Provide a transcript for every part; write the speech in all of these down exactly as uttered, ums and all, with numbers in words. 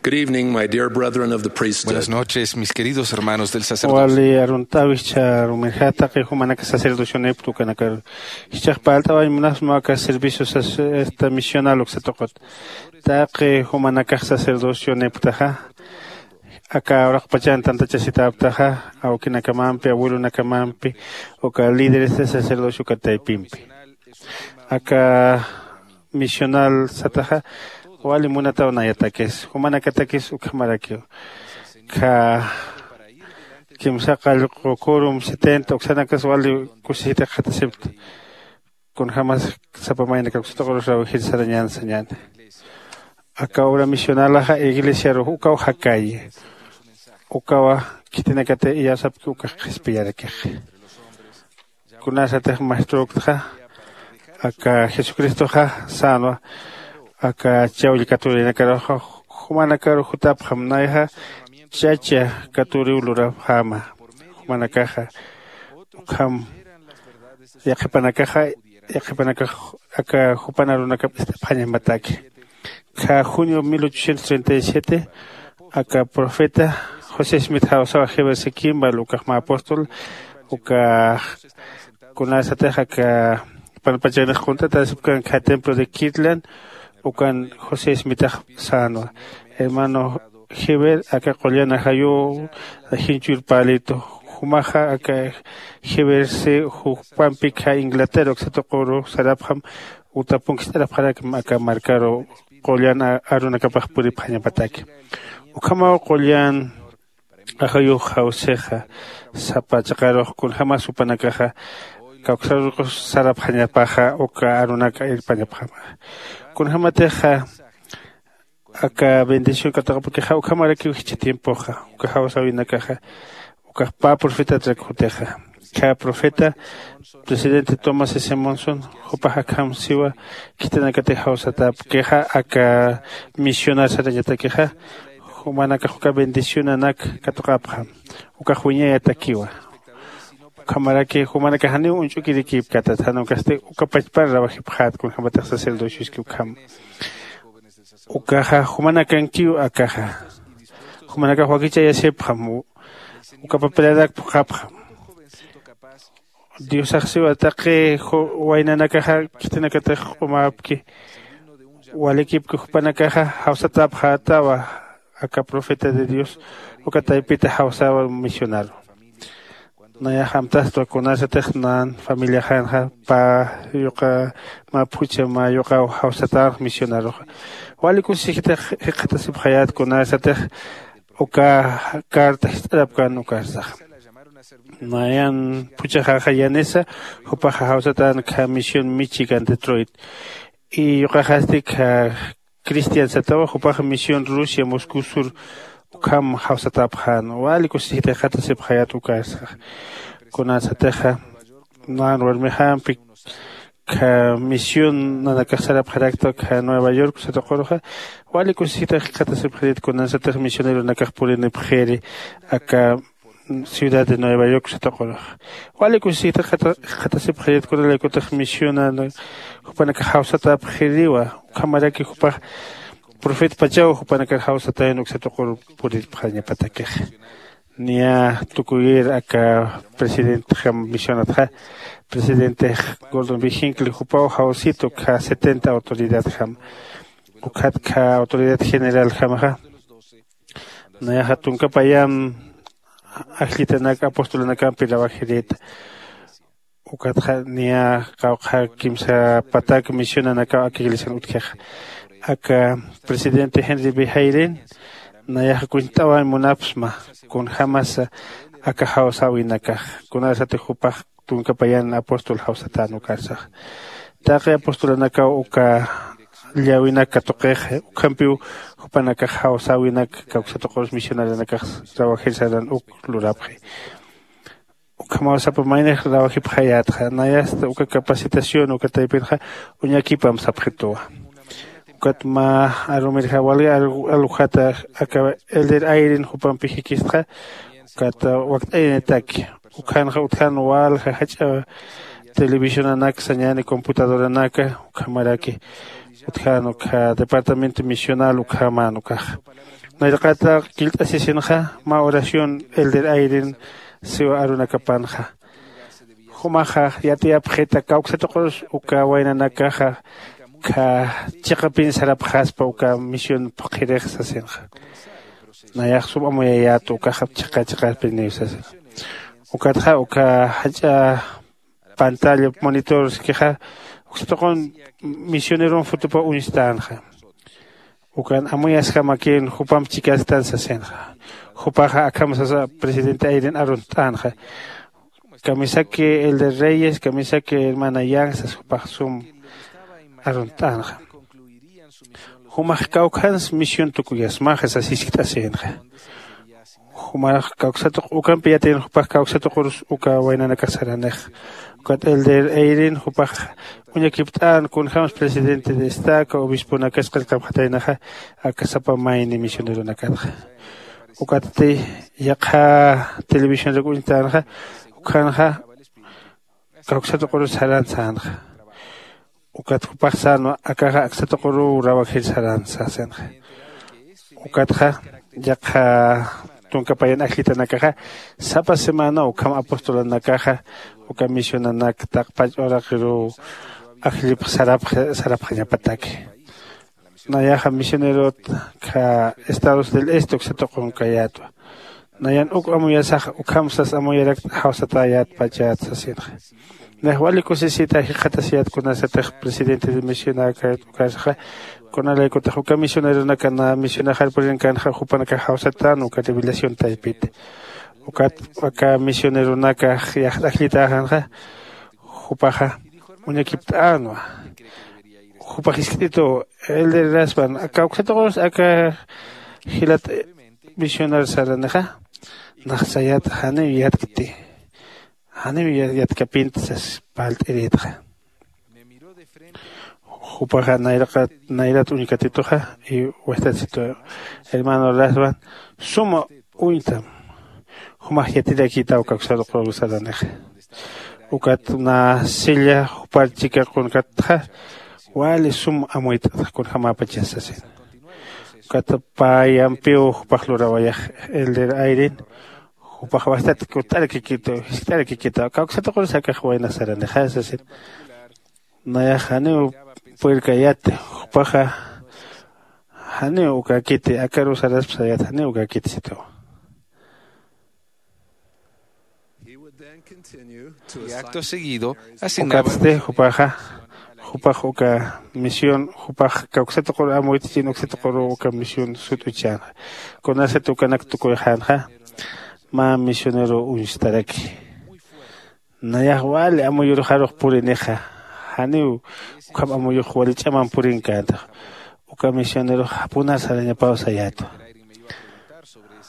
Good evening, my dear brethren of the priesthood. Buenas noches, mis queridos hermanos del sacerdocio. Wali arunt'awi jichha arumirjata, taqi jumanaka sacerdocionipta ukanakar. Jichhax parlt'awañ munasma aka servicio sac-, esta misional uksa tuqut. Taqi jumanakax sacerdocioniptaxa, aka uraqpachan tantachasitäptaxa, awkinakamampi, abuelonakamampi, uka líderes de sacerdocio uka taypimpi. Aka misional sataxa, wali munataw nayatakis, jumanakatakis ukhamarakiw. Kha kimsa qallqu quorum setenta uksanakas wali kusisita qhatasipta. Kunjämas sapa maynakan uksa tuqurus rawjir sarañän sañäni. Aka obra misionalaxa iglesiarux ukaw jakayi. Ukawa khitinakatix iyawsapki ukax qhispiyarakix. Kunasatix maeströktaxa, aka Jesucristoxa sänwa, aka chawll katurinakaruxa, jumanakaru jutapxam, nayaxa chacha katuriw lurapxäma. Jumanakaxa, ukham yaqhipanakaxa, yaqhipanakax aka jupan arunakap ist'apxañamataki. Kha junio mil ochocientos treinta y siete, aka profeta José Smith jawsawa Heber C. Kimball, ukax mä apóstol, uka kunasatix aka panpachanix qunt'atasipkan kha templo de Kirtland, ukan José Smithax sänwa. Hermano Heber, aka qullan ajayuw jinchur palitu. Jumaxa aka Heber C. jupampi kha Inglaterra uksa tuquru sarapxam, utapunk ist'arapxarakma aka markaru qullan a-, arunakapax puripxañapataki. Ukhamaw qullan ajayux jawsixa, sapa chiqarux kunjämas jupanakaxa kawksarurux sarapxañapaxa, uka arunaka irpañapxama. Kunjämatixa aka bendición katuqapakixa, ukhamarakiw jichha tiempoxa, uka jawsäwinakaxa, ukax pä profetatrak jutixa. Kha profeta, presidente Thomas S. Monson, jupax akham siwa, khitinakatix jawsatäpkixa, aka misional sarañatakixa, jumanakax uka bendicionanak katuqapxam, ukax wiñayatakiwa. Ukhamaraki jumanakax janiw uñch'ukirikïpkatat, jan ukasti uka pachpar rawajipxät, kunjämatix sacerdocioski ukham. Ukaxa jumanakankiw akaxa. Jumanakax wakichayasipxam, u-, uka papelanak phuqhapxam. Diosax siwa taqi ju-, waynanakaxa khitinakatix q'umäpki, walikipki jupanakaxa jawsatäpxätawa aka profeta de Dios, uka taypita jawsäwa misionaru. Nayax amtastwa kunasatix nan familiaxanxa pä yuqa mä phuchha mä yuqaw jawsatänx misionaruxa. Wali kusisitix jikxatasipxayät kunasatix uka carta jist'arapkän ukarsaxa. Nayan phuchhaxaxa Yanesa, jupaxa jawsatän kha misión Michigan Detroit. Y yuqaxasti kha Cristian satawa, jupax misión Rusia Moscú Sur ukham jawsatäpxän. Wali kusisita jikxatasipxayät ukarsa. Kunasatixa nan warmixampi kha misión nanakax sarapxarakta kha Nueva York satuquruxa, wali kusisita jikxatasipxarit kunasatix misioneronakax purinipxiri aka ciudad de Nueva York satuqurux. Wali kusisita jikxatasipxarit kunalaykutix misión jupanakax jawsatäpxiriwa, ukhamaraki jupax profetpachaw jupanakar jawsatayan uksa tuquru puriripxañapatakixa. Niya tukuyir aka presidentjam misionatxa, presidente Gordon B. Hinckley jupaw jawsitu kha setenta autoridadjam, ukhat kha autoridad generaljamaxa. Nayaxa tunka payam ajllitanak apostolanakampi rawajirïta. Ukatxa niya qawqha kimsa patak misionanakaw aka iglesian utjixa. Aka presidente Henry B. Hayden nayaxa kunt'awañ munapxsma kunjämasa aka jawsäwinakax, kunasatix jupax tunka payan apóstol jawsatän ukarsax. Taqi apostolanakaw uka llawinak katuqix, ukhampiw jupanakax jawsäwinak kawksatuqurus misionaranakax rawajir saran uk lurapxi. Ukhamaw sapa maynix rawajipxayätxa, nayasta uka capacitación uka taypinxa uñakipam sapxituwa. Ukat mä arumirja wali alu-, alujata aka Elder Ayrin jupampi jikistxa, ukat wakt'ayanitaki. Ukhanxa utjan walja jach'a televisionanak sañäni, computadoranaka, ukhamaraki utjan ukha departamento misional ukhaman ukax. Nayraqata killt'asisinxa mä oración elder ayrin siwa arunakapanxa. Jumaxa yatiyapxita kawksatuqurus uka waynanakaxa kha chiqapin sarapxaspa uka misión phuqhirix sasinxa. Nayax sum amuyayätu ukaxa chiqa chiqapiniw sasin. Ukatxa uka jach'a pantalla monitor sikixa uksatuqun misioneron fotopa uñstänxa. Ukan amuyasjamakin jupamp chikastan sasinxa. Jupaxa akham sasa presidente ayrin arunt'änxa. Kamisaki elder reyes kamisaki hermana yang sas jupax sum arunt'änxa. Jumax kawkhans misión tukuyasmaxa sas jiskt'asïnxa. Jumax kawksatuq ukampi yatïn jupax kawksatuqurus uka waynanakax saranix. Ukat elder ayrin jupax uñakipt'än kunjämas presidente de estaca obisponakas qillqapxataynaxa aka sapa mayni misioneronakatxa. Ukatsti yaqha televisionrak uñtänxa. Ukhanxa kawksatuqurus saran sänxa. Ukat jupax sänwa akaxa aksatuquru rawajir saran sasinxa. Ukatxa yaqha tunka payan ajllitanakaxa sapa semana ukham apostolanakaxa uka misionanak taqpach uraqiruw ajllipx sarapxañapataki. Nayaxa misionerot kha estados del este uksatuqun kayätwa. Nayan uk amuyasax ukham sas amuyarakt jawsatäyätpachät sasinxa. Nayax wali kusisita jikxatasiyät kunasatix presidente de misionakayät ukasaxa kunalaykutix uka misioneronaka na misionaxar purinkänxa jupanakax jawsatän uka revelación taypita. Ukat aka misioneronakax yaxt ajllitäxänxa jupaxa uñakipt'änwa. Jupax jiskt'itu elder raspan aka uksatuqurus aka jilat misionar saranixa naxsayat janiw yatkti janiw yatkapinti sas parlt'irïtxa. Jupaxa nayraqa nayrat uñkatituxa y wastatsitu hermano raspan suma uñtam jumax yatirakïtaw kawksatuqurus saranixa. Ukat na silla jupar chika qunkatxa wali sum amuyt'atxa kunjämäpachas sasin. Ukat payampiw jupax lurawayax elder ayrin jupax wastat kut'arakikitu jiskt'arakikita kawksatuqurus akax waynax saranixa sasin. Nayax janiw puyrkayati jupaxa janiw ukakiti akaruw saraspa sayat janiw ukakiti sitawa. Y acto seguido asignaba ukatsti jupaxa jupax uka misión jupax kawksatuquru amuyt'chin uksatuquru uka misión sut'uchänxa. Kunasat ukanak tukuyxänxa mä misionero uñstaraki. Nayax wali amuyuruxarux purinixa janiw ukham amuyux wali ch'amam purinkäntax. Uka misionerux japunar sarañapaw sayätwa.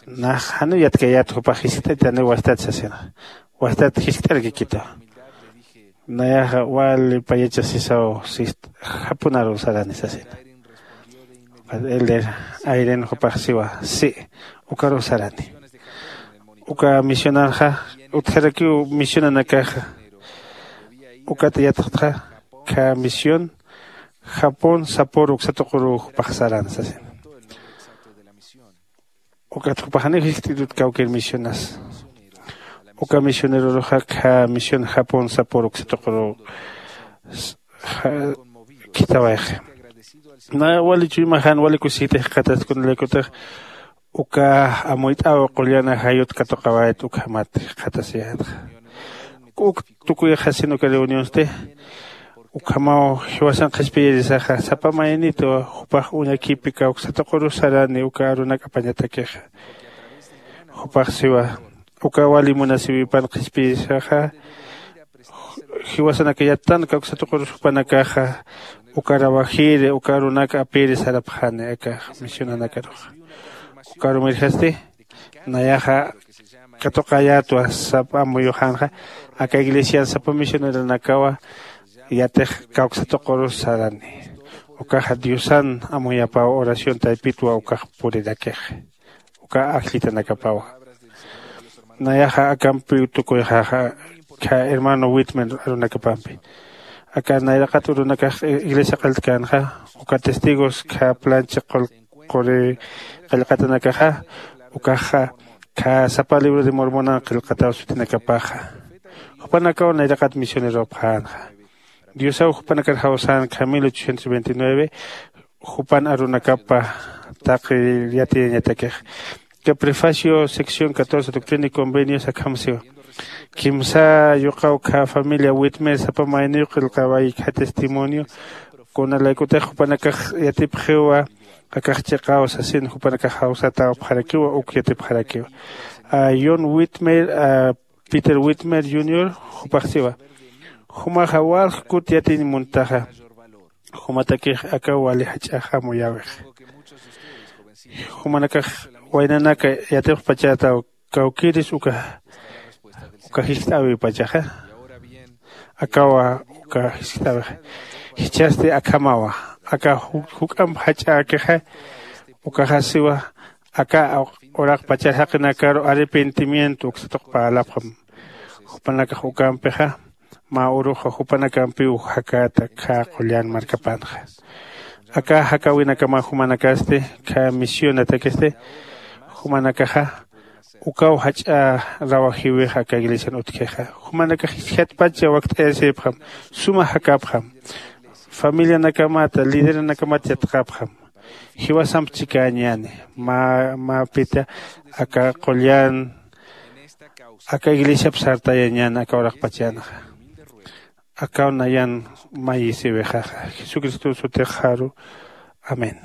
Nax janiw yatkayät jupax jiskt'aytaniw wastat sasinxa. Wastat jiskt'arakikitwa. Nayaxa wali payachasisaw sist japunaruw sarani sasina. Elder ayrin jupax siwa si ukaruw sarani. Uka misionanxa utjarakiw misionanakaxa ukat yatxtxa kha misión japón sapor uksatuquru jupax saran sasina. Ukat jupaxaniw jiskt'itut kawkir misionas. Uka misioneroruxa kha misión japón sapor uksatuquru khitawayxi. Na wali chuymaxan wali kusisita jikxataskunalaykutix uka amuyt'aw qullan ajayut katuqawayat ukhamat jikxatasiyätxa. Uk tukuyxasin uka reunionsti ukhamaw jiwasan qhispiyirisaxa sapa maynitu jupax uñakipi kawksatuquru sarani uka arunak apañatakixa. Jupax siwa uka wali munasiwipan qhispiyirisaxa jiwasanaka yattan kawksatuqurus jupanakaxa uka rawajiri uka arunak apiri sarapxani aka misionanakaruxa. Ukarumirjasti nayaxa katuqayätwa sapa amuyuxänxa aka iglesian sapa misioneronakawa yatix kawksatuqurus sarani. Ukaxa diosan amuyapaw oración taypitwa ukax purirakix uka ajllitanakapawa. Nayaxa akampiw tukuyxaxa kha hermano witman arunakapampi aka nayraqat urunakax iglesia q'altkänxa uka testigos kha plancha qul quri qillqatanakaxa, ukaxa khä sapa libro de Mormonan qillqataw sutinakapaxa. Jupanakaw nayraqat misioneropxänxa. Diosaw jupanakar jawsän khä mil ochocientos veintinueve jupan arunakapa taqi yatiyañatakix. Ka prefacio sección catorce doctrina y convenios akham siwa. Kimsa yuqaw khä familia witmer sapa mayniw qillqaway khä testimonio, kunalaykutix jupanakax yatipxiwa akax chiqaw sasin jupanakax jawsatawapxarakiwa uk yatipxarakiwa. A John Whitmer, a Peter Whitmer junior, jupax siwa, jumaxa walj kut yatiñ muntaxa. Jumatakix aka wali jach'ax amuyäwix. Jumanakax waynanaka yatipxpachätaw kawkïris uka uka jiskt'äwipachaxa. Akawa uka jiskt'äwixa. Jichhasti akhamawa aka juk'amp jach'äkixa. Ukaxasiwa aka uraqpachar jaqinakaru arrepentimiento uksatuq parlapxam. Jupanakax ukampixa mä uruxa jupanakampiw jakäta khä qullan markapanxa. Aka jakäwinakama jumanakasti khä misionatakasti jumanakaxa ukaw jach'a rawajïwix aka iglesian utjixa. Jumanakax jiskatpacha wakt'ayasipxam, suma jakapxam, familianakamata lideranakamat yatxapxam. Jiwasamp chikäñäni mä mäpita aka qullan aka iglesiap sartayañäni aka uraqpachanxa. Akaw nayan mayisiwixaxa jesucristo sutixaru. Amén.